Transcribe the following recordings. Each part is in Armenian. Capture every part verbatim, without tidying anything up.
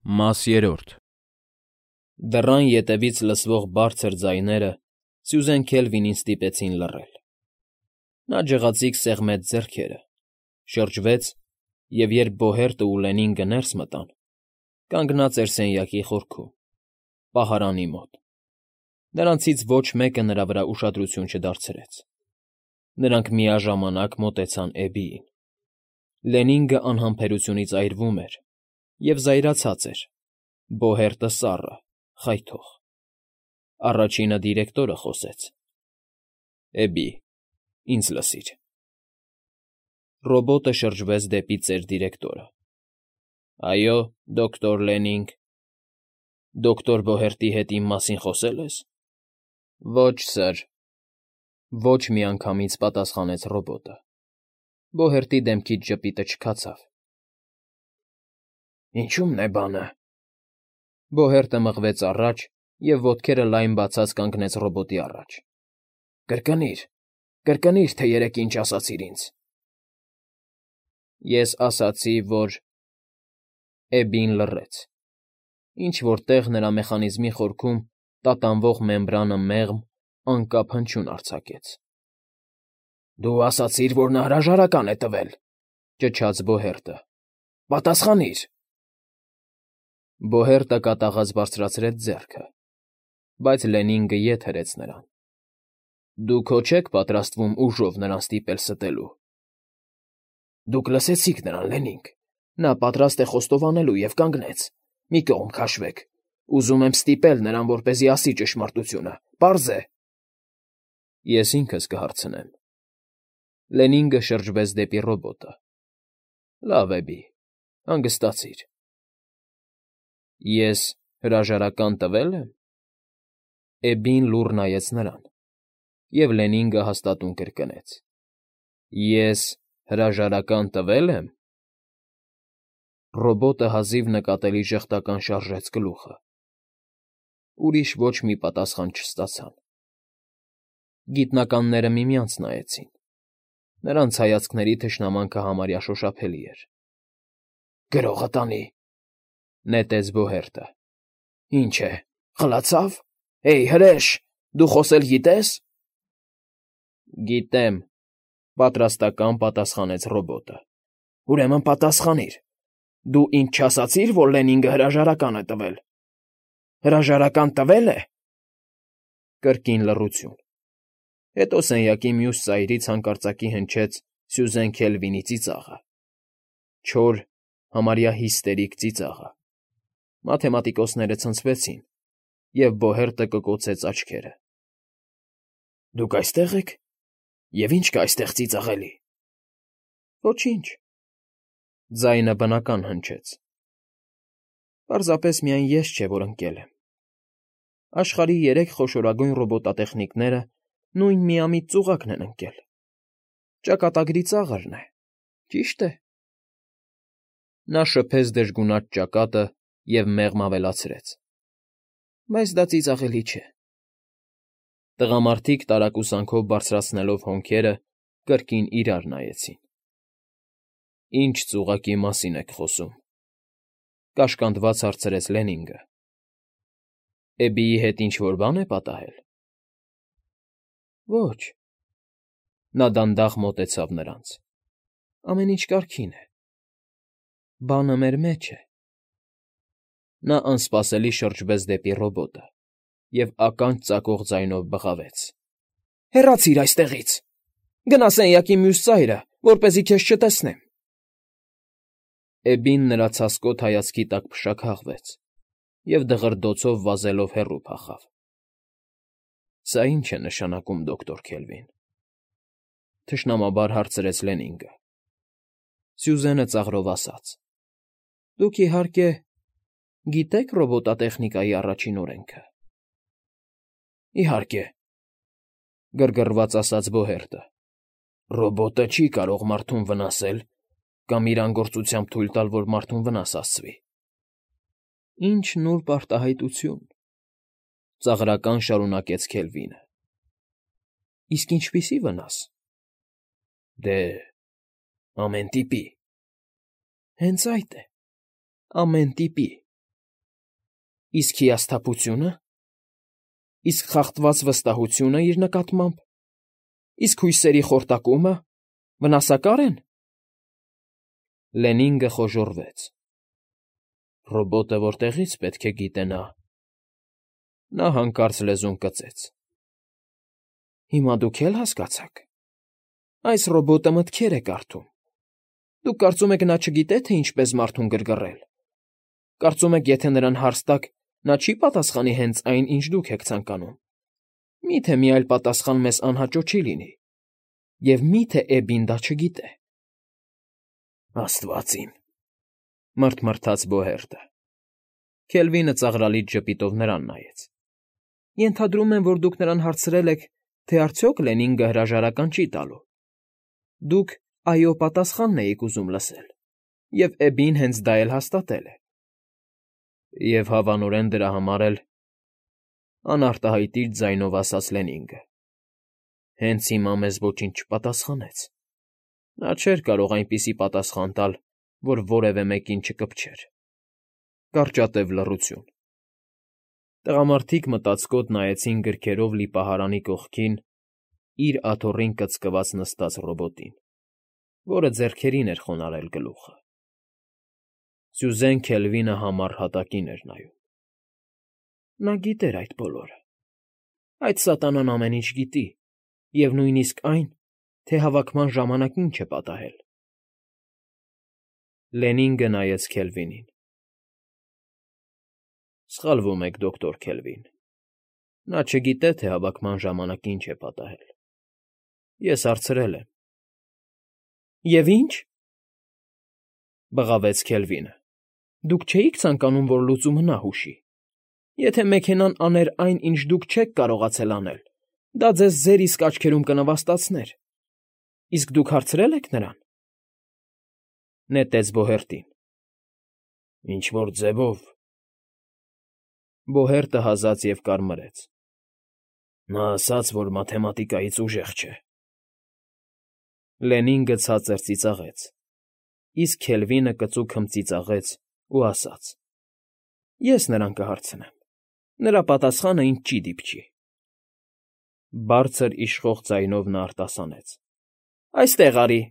Մաս երրորդ Դռան ետևից լսվող բարձր ձայները Սյուզեն Քելվինին ստիպեցին լռել. նա ջղացիկ սեղմեց ձեռքերը, շրջվեց և, երբ Բոհերտը ու Լենինգը ներս մտան, կանգնած էր սենյակի խորքում, պահարանի մոտ. նրանցից ոչ մեկը նրա վրա ուշադրություն չդարձրեց. նրանք միաժամանակ մոտեցան Էբիին. Լենինգը անհամբերությունից այրվում էր և զայրացած էր, Բոհերտը սառը, խայթող: Առաջինը դիրեկտորը խոսեց. Էբի, ինձ լսիր: Ռոբոտը շրջվեց դեպի ծեր դիրեկտորը. Այո, դոկտոր Լենինգ: Դոկտոր Բոհերտի հետ իմ մասին խոսե՞լ ես: Ոչ, սըր, ոչ միանգամից պատասխանեց ռոբոտը: Բոհերտի դեմքից ժպիտը չքացավ: Ինչո՞ւմն է բանը: Բոհերտը մղվեց առաջ և ոտքերը լայն բացած կանգնեց ռոբոտի առաջ: Կրկնիր, կրկնիր, թե երեկ ինչ ասացիր ինձ: Ես ասացի, որ… Էբին լռեց: Ինչ֊որ տեղ նրա մեխանիզմի խորքում տատանվող մեմբրանը մեղմ, անկապ հնչյուն արձակեց: Դու ասացիր, որ նա հրաժարական է տվել, ճչաց Բոհերտը: Պատասխանիր: Բոհերտը կատաղած բարձրացրեց ձեռքը, բայց Լենինգը ետ հրեց նրան: Դուք հո չեք պատրաստվում ուժով նրան ստիպել ստելու: Դուք լսեցիք նրան, Լենինգ: Նա պատրաստ է խոստովանելու և կանգնեց: Մի կողմ քաշվեք: Ուզում եմ ստիպել նրան, որպեսզի ասի ճշմարտությունը: Պարզ է: Ես ինքս կհարցնեմ: Լենինգը շրջվեց դեպի ռոբոտը: Լավ, Էբի, հանգստացիր: Ես հրաժարական տվե՞լ եմ: Էբին լուռ նայեց նրան, և Լենինգը հաստատուն կրկնեց. Ես հրաժարական տվե՞լ եմ: Ռոբոտը հազիվ նկատելի ժխտական շարժեց գլուխը: Ուրիշ ոչ մի պատասխան չստացան: Գիտնականները միմյանց նայեցին: Նրանց հայացքների թշնամանքը համարյա շոշափելի էր: Գրողը տանի, նետեց Բոհերտը: Ինչ է, խլացա՞վ: Հեյ, հրե՛շ, դու խոսել գիտե՞ս: Գիտեմ, պատրաստական պատասխանեց ռոբոտը: Ուրեմն պատասխանիր: Դու ինձ չասացի՞ր, որ Լենինգը հրաժարական է տվել: Հրաժարական տվե՞լ է: Կրկին լռություն: Հետո սենյակի մյուս ծայրից հանկարծակի հնչեց Սյուզեն Քելվինի ծիծաղը: Չոր, համարյա հիստերիկ ծիծաղը: Մաթեմատիկոսները ցնցվեցին, և Բոհերտը կկոցեց աչքերը: Դուք այստե՞ղ եք: Եվ ի՞նչ կա այստեղ ծիծաղելի: Ոչինչ: Ձայնը բնական հնչեց: Պարզապես միայն ես չէ, որ ընկել եմ: Աշխարհի երեք խոշորագույն ռոբոտատեխնիկները նույն միամիտ ծուղակն են ընկել: Ճակատագրի ծաղրն է, ճի՞շտ է: Նա շփեց դժգունած ճակատը և մեղմ ավելացրեց. Բայց դա ծիծաղելի չէ: Տղամարդիկ տարակուսանքով բարձրացնելով հոնքերը, կրկին իրար նայեցին: Ի՞նչ ծուղակի մասին եք խոսում: Կաշկանդված հարցրեց Լենինգը: Էբիի հետ ինչ֊որ բան է պատահել: Ոչ: Նա դանդաղ մոտեցավ նրանց: Ամեն ինչ կարգին է: Բանը մեր մեջ է: Նա անսպասելի շրջվեց դեպի ռոբոտը և ականջ ծակող ձայնով բղավեց. Հեռացիր այստեղից: Գնա սենյակի մյուս ծայրը, որպեսզի քեզ չտեսնեմ: Էբին նրա ցասկոտ հայացքի տակ փշաքաղվեց և դղրդոցով վազելով հեռու փախավ: Սա ի՞նչ է նշանակում, դոկտոր Քելվին: Թշնամաբար հարցրեց Լենինգը: Սյուզենը ծաղրով ասաց. Դուք, իհարկե, գիտե՞ք ռոբոտատեխնիկայի առաջին օրենքը: Իհարկե, գրգռված ասաց Բոհերտը: Ռոբոտը չի կարող մարդուն վնասել կամ իր անգործությամբ թույլ տալ, որ մարդուն վնաս հասցվի: Ինչ նուրբ արտահայտություն, ծաղրական շարունակեց Քելվինը: Իսկ ինչպիսի՞ վնաս: Դե, ամեն տիպի: Հենց այդ է, ամեն տիպի: Իսկ հիասթափությո՞ւնը։ Իսկ խախտված վստահությո՞ւնը իր նկատմամբ։ Իսկ հույսերի խորտակո՞ւմը։ Վնասակա՞ր են։ Լենինգը խոժոռվեց։ Ռոբոտը որտեղի՞ց պետք է գիտենա։ Նա հանկարծ լեզուն կծեց. Հիմա դուք էլ հասկացաք։ Այս ռոբոտը մտքեր է կարդում։ Դուք կարծում եք, նա չգիտե, թե ինչպես մարդուն գրգռել։ Կարծում եք, եթե նրան հարց տաք, նա չի պատասխանի հենց այն, ինչ դուք եք ցանկանում։ Մի՞թե մի այլ պատասխան մեզ անհաճո չի լինի։ Եվ մի՞թե Էբին դա չգիտե։ Աստված իմ,֊ մռթմռթաց Բոհերտը։ Քելվինը ծաղրալից ժպիտով նրան նայեց։ Ենթադրում եմ, որ դուք նրան հարցրել եք, թե արդյոք Լենինգը հրաժարական չի տալու։ Դուք այո պատասխանն էիք ուզում լսել, և Էբին հենց դա էլ հաստատել է։ Եվ հավանորեն դրա համար էլ,֊ անարտահայտիչ ձայնով ասաց Լենինգը,֊ հենց հիմա մեզ ոչինչ չպատասխանեց։ Նա չէր կարող այնպիսի պատասխան տալ, որ որևէ մեկին չկպչեր։ Կարճատև լռություն։ Տղամարդիկ մտածկոտ նայեցին գրքերով լի պահարանի կողքին իր աթոռին կծկված նստած ռոբոտին, որը ձեռքերին էր խոնարհել գլուխը։ Սյուզեն Քելվինը համառ հատակին էր նայում։ Նա գիտեր այդ բոլորը։ Այդ սատանան ամեն ինչ գիտի, և նույնիսկ այն, թե հավաքման ժամանակ ինչ է պատահել։ Լենինգը նայեց Քելվինին։ Սխալվում եք, դոկտոր Քելվին։ Նա չգիտե, թե հավաքման ժամանակ ինչ է պատահել։ Ես հարցրել եմ։ Եվ ի՞նչ,֊ բղավեց Քելվինը։ Դուք չէիք ցանկանում, որ լուծումը նա հուշի։ Եթե մեքենան աներ այն, ինչ դուք չեք կարողացել անել, դա ձեզ ձեր իսկ աչքերում կնվաստացներ։ Իսկ դուք հարցրե՞լ եք նրան։ Նետեց Բոհերտին։ Ինչ֊որ ձևով… Բոհերտը հազաց և կարմրեց։ Նա ասաց, որ մաթեմատիկայից ուժեղ չէ։ Լենինգը ցածր ծիծաղեց, իսկ Քելվինը կծու քմծիծաղեց ու ասաց. Ես նրան կհարցնեմ։ Նրա պատասխանը ինձ չի դիպչի։ Բարձր իշխող ձայնով նա արտասանեց. Այստեղ արի։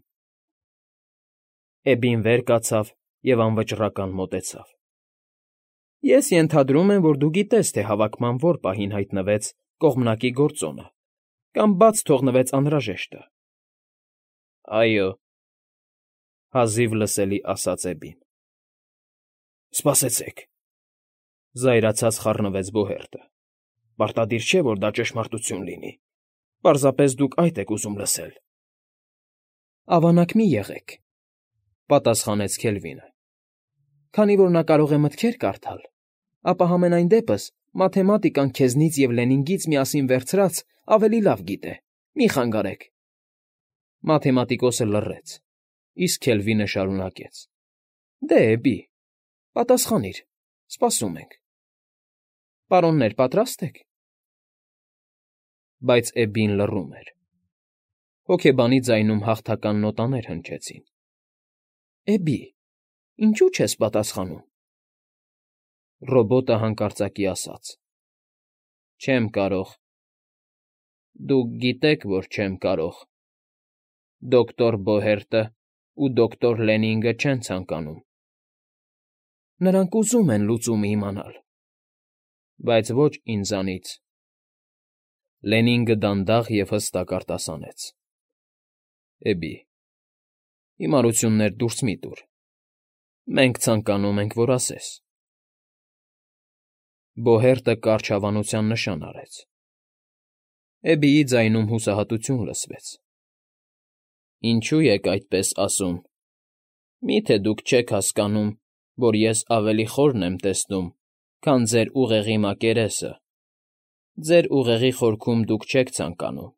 Էբին վեր կացավ և անվճռական մոտեցավ։ Ես ենթադրում եմ, որ դու գիտես, թե հավաքման որ պահին հայտնվեց կողմնակի գործոնը կամ բաց թողնվեց անհրաժեշտը։ Այո,֊ հազիվ լսելի ասաց Էբին։ Սպասեցեք,֊ զայրացած խառնվեց Բոհերտը։ Պարտադիր չէ, որ դա ճշմարտություն լինի։ Պարզապես դուք այդ եք ուզում լսել։ Ավանակ մի եղեք,֊ պատասխանեց Քելվինը։ Քանի որ նա կարող է մտքեր կարդալ, ապա համենայն դեպս մաթեմատիկան քեզնից և Լենինգից միասին վերցրած ավելի լավ գիտե։ Մի խանգարեք։ Մաթեմատիկոսը լռեց, իսկ Քելվինը շարունակեց. Դե, Էբի, պատասխանիր, սպասում ենք։ Պարոններ, պատրաստ եք։ Բայց Էբին լռում էր։ Հոգեբանի ձայնում հաղթական նոտաներ հնչեցին։ Էբի, ինչու չես պատասխանում։ Ռոբոտը հանկարծակի ասաց. Չեմ կարող։ Դուք գիտեք, որ չեմ կարող։ Դոկտոր Բոհերտը ու դոկտոր Լենինգը չեն ցանկանում։ Նրանք ուզում են լուծումը իմանալ, բայց ոչ ինձանից։ Լենինգը դանդաղ և հստակ արտասանեց. Էբի, հիմարություններ դուրս մի՛ տուր։ Մենք ցանկանում ենք, որ ասես։ Բոհերտը կարճ հավանության նշան արեց։ Էբիի ձայնում հուսահատություն լսվեց։ Ինչո՞ւ եք այդպես ասում։ Մի՞թե դուք չեք հասկանում, որ ես ավելի խորն եմ տեսնում, քան ձեր ուղեղի մակերեսը։ Ձեր ուղեղի խորքում դուք չեք ցանկանում։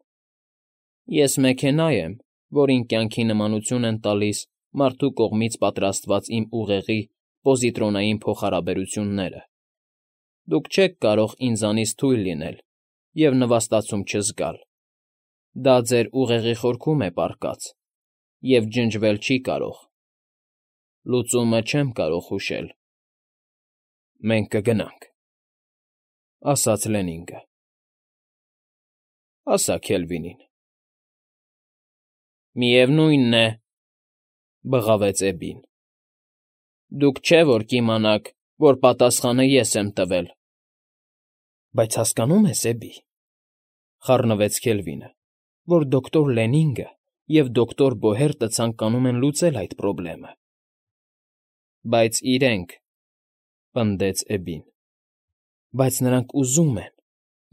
Ես մեքենա եմ, որին կյանքի նմանություն են տալիս մարդու կողմից պատրաստված իմ ուղեղի պոզիտրոնային փոխհարաբերությունները։ Դուք չեք կարող ինձանից թույլ լինել և նվաստացում չզգալ։ Դա ձեր ուղեղի խորքում է պառկած և ջնջվել չի կարող։ Լուծումը չեմ կարող հուշել։ Մենք կգնանք։ ասաց Լենինգը։ Ասա Քելվինին։ Միևնույնն է, բղավեց Էբին։ Դուք չէ՞ որ կիմանաք, որ պատասխանը ես եմ տվել։ Բայց հասկանո՞ւմ ես, Էբի, խառնվեց Քելվինը, որ դոկտոր Լենինգը և դոկտոր Բոհերտը ցանկանում են լուծել այդ պրոբլեմը։ Բայց իրենք, պնդեց Էբին։ Բայց նրանք ուզում են,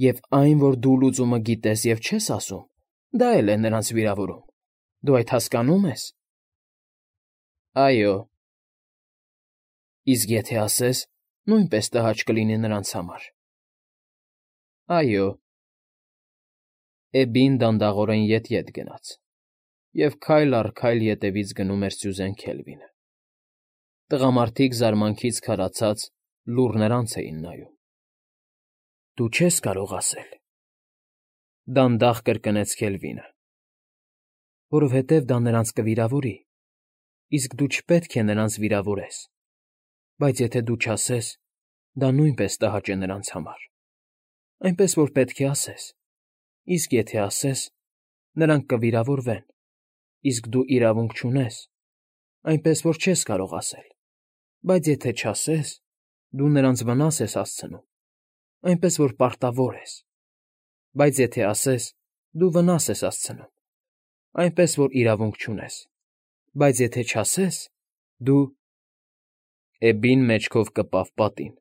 և այն, որ դու լուծումը գիտես և չես ասում, դա էլ է նրանց վիրավորում։ Դու այդ հասկանո՞ւմ ես։ Այո։ Իսկ եթե ասես, նույնպես տհաճ կլինի նրանց համար։ Այո։ Էբին դանդաղորեն ետ֊ետ գնաց, և քայլ առ քայլ ետևից գնում էր Սյուզեն Քելվինը։ Տղամարդիկ զարմանքից քարացած լուռ նրանց էին նայում։ Դու չես կարող ասել, դանդաղ կրկնեց Քելվինը, որովհետև դա նրանց կվիրավորի, իսկ դու չպետք է նրանց վիրավորես, բայց եթե դու չասես, դա նույնպես տհաճ է նրանց համար, այնպես որ պետք է ասես, իսկ եթե ասես, նրանք կվիրավորվեն, իսկ դու իրավունք չունես, այնպես որ չես կարող ասել, բայց եթե չասես, դու նրանց վնաս ես հասցնում, այնպես որ պարտավոր ես, բայց եթե ասես, դու վնաս ես հասցնում, այնպես որ իրավունք չունես, բայց եթե չասես, դու… Էբին մեջքով կպավ պատին,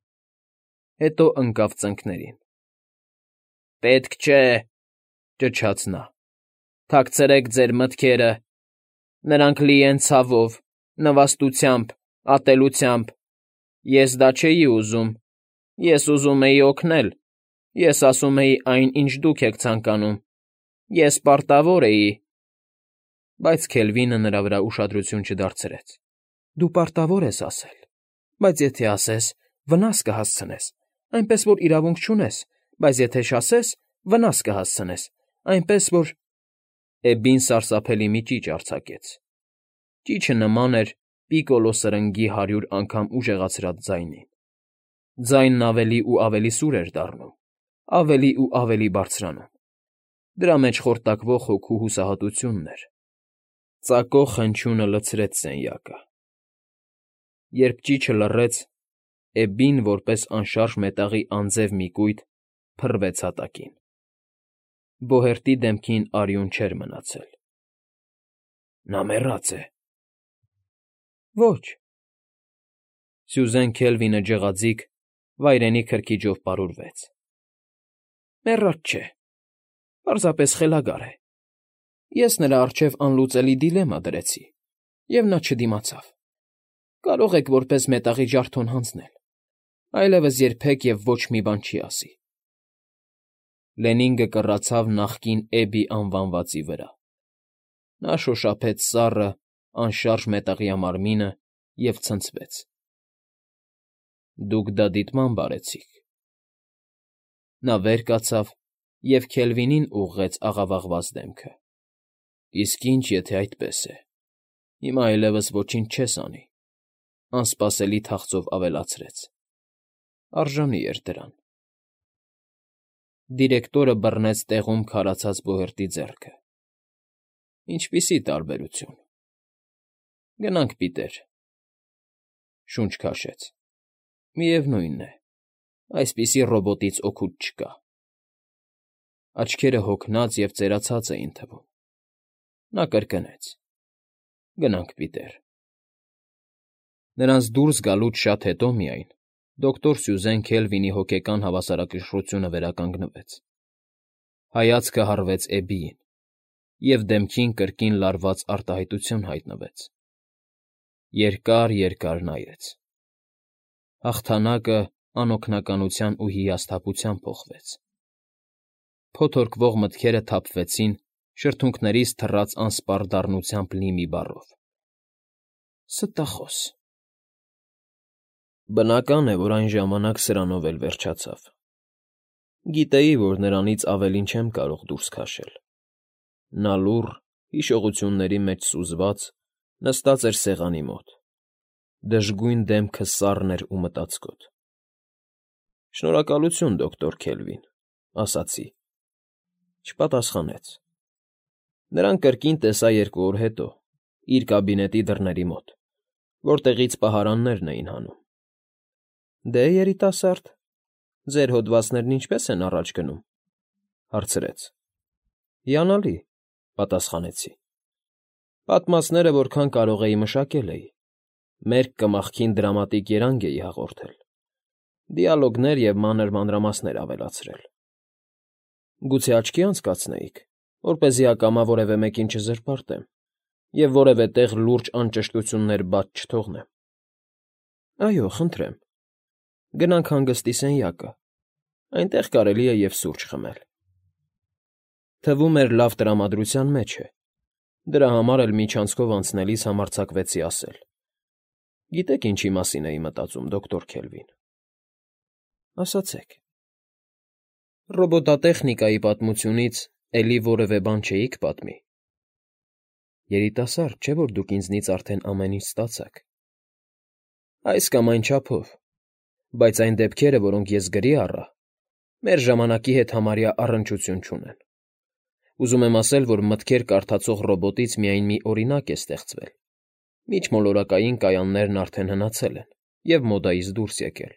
հետո ընկավ ծնկներին։ Պետք չէ, ճչաց նա, թաքցրեք ձեր մտքերը, նրանք լի են ցավով, նվաստությամբ, ատելությամբ, ես դա չէի ուզում, ես ուզում էի օգնել, ես ասում էի այն, ինչ դուք եք ցանկանում, ես պարտավոր էի… Բայց Քելվինը նրա վրա ուշադրություն չդարձրեց։ Դու պարտավոր ես ասել, բայց եթե ասես, վնաս կհասցնես, այնպես որ իրավունք չունես, բայց եթե չասես, վնաս կհասցնես, այնպես որ… Էբին սարսափելի մի ճիչ արձակեց։ Ճիչը նման էր պիկոլո սրնգի հարյուր անգամ ուժեղացրած ձայնին։ Ձայնն ավելի ու ավելի սուր էր դառնում, ավելի ու ավելի բարձրանում։ Դրա մեջ խորտակվող հոգու հուսահատությունն էր։ Ծակող խնչյունը լցրեց սենյակը։ Երբ ճիչը լռեց, Էբին, որպես անշարժ մետաղի անձև մի կույտ, փռվեց հատակին։ Բոհերտի դեմքին արյուն չէր մնացել։ Նա մեռած է։ Ոչ։ Սյուզեն Քելվինը ջղաձիգ, վայրենի քրքիջով պարուրվեց։ Մեռած չէ, պարզապես խելագար է։ Ես նրա առջև անլուծելի դիլեմա դրեցի, և նա չդիմացավ։ Կարող եք որպես մետաղի ջարդոն հանձնել, այլևս երբեք և ոչ մի բան չի ասի։ Լենինգը կռացավ նախկին Էբի անվանվածի վրա։ Նա շոշափեց սառը, անշարժ մետաղյա մարմինը և ցնցվեց։ Դուք դա դիտմամբ արեցիք։ Նա վեր կացավ և Քելվինին ուղղեց աղավաղված դեմքը։ Իսկ ինչ, եթե այդպես է, հիմա այլևս ոչինչ չես անի, անսպասելի թախծով ավելացրեց. արժանի էր դրան։ Դիրեկտորը բռնեց տեղում քարացած Բոհերտի ձեռքը։ Ինչպիսի տարբերություն։ Գնանք, Պիտեր, շունչ քաշեց։ Միևնույն է, այսպիսի ռոբոտից օգուտ չկա։ Աչքերը հոգնած և ծերացած էին թվում։ Նա կրկնեց. Գնանք, Պիտեր։ Նրանց դուրս գալուց շատ հետո միայն դոկտոր Սյուզեն Քելվինի հոգեկան հավասարակշռությունը վերականգնվեց։ Հայացքը հառվեց Էբիին, և դեմքին կրկին լարված արտահայտություն հայտնվեց։ Երկար֊երկար նայեց։ Հաղթանակը անօգնականության ու հիասթափության փոխվեց։ Փոթորկվող մտքերը թափվեցին շրթունքներից թռած անսպառ դառնությամբ լի մի բառով. Ստախոս։ Բնական է, որ այն ժամանակ սրանով էլ վերջացավ։ Գիտեի, որ նրանից ավելին չեմ կարող դուրս քաշել։ Նա լուռ, հիշողությունների մեջ սուզված, նստած էր սեղանի մոտ։ Դժգույն դեմքը սառն էր ու մտածկոտ։ Շնորհակալություն, դոկտոր Քելվին, ասացի։ Չպատասխանեց։ Նրան կրկին տեսա երկու օր հետո, իր կաբինետի դռների մոտ, որտեղից պահարաններն էին հանում։ Դե, երիտասարդ, ձեր հոդվածներն ինչպե՞ս են առաջ գնում, հարցրեց։ Հիանալի, պատասխանեցի։ Պատմածները որքան կարող էի մշակել էի, մերկ կմախքին դրամատիկ երանգ էի հաղորդել, դիալոգներ և մանր մանրամասներ ավելացրել։ Գուցե աչքի անցկացնեիք, որպեսզի ակամա որևէ մեկին չզրպարտեմ և որևէ տեղ լուրջ անճշտություններ բաց չթողնեմ։ Այո, խնդրեմ, գնանք հանգստի սենյակը, այնտեղ կարելի է և սուրճ խմել։ Թվում էր լավ տրամադրության մեջ է, դրա համար էլ միջանցքով անցնելիս համարձակվեցի ասել. Գիտեք ինչի մասին էի մտածում, դոկտոր Քելվին։ Ասացեք։ Ռոբոտատեխնիկայի պատմությունից էլի որևէ բան չէիք պատմի։ Երիտասարդ, չէ՞ որ դուք ինձնից արդեն ամեն ինչ ստացաք։ Այս կամ այն չափով, բայց այն դեպքերը, որոնք ես գրի առա, մեր ժամանակի հետ համարյա առնչություն չունեն։ Ուզում եմ ասել, որ մտքեր կարդացող ռոբոտից միայն մի օրինակ է ստեղծվել, միջմոլորակային կայաններն արդեն հնացել են և մոդայից դուրս եկել,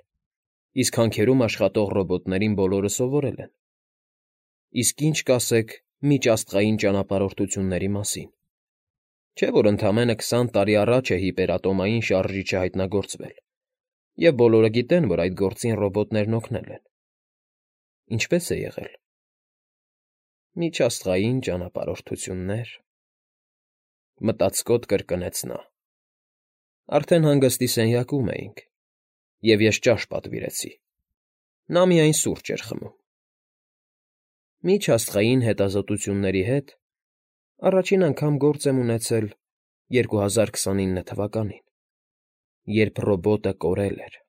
իսկ հանքերում աշխատող ռոբոտներին բոլորը սովորել են։ Իսկ ինչ կասեք միջաստղային ճանապարհորդությունների մասին։ Չէ՞ որ ընդամենը քսան տարի առաջ է հիպերատոմային շարժիչը հայտնագործվել, և բոլորը գիտեն, որ այդ գործին ռոբոտներն օգնել են։ Ինչպե՞ս է եղել։ Միջաստղային ճանապարհորդություններ, մտածկոտ կրկնեց նա։ Արդեն հանգստի սենյակում էինք, և ես ճաշ պատվիրեցի։ Նա միայն սուրճ էր խմում։ Միջաստղային հետազոտությունների հետ առաջին անգամ գործ եմ ունեցել երկու հազար քսանինը թվականին, երբ ռոբոտը կորել էր։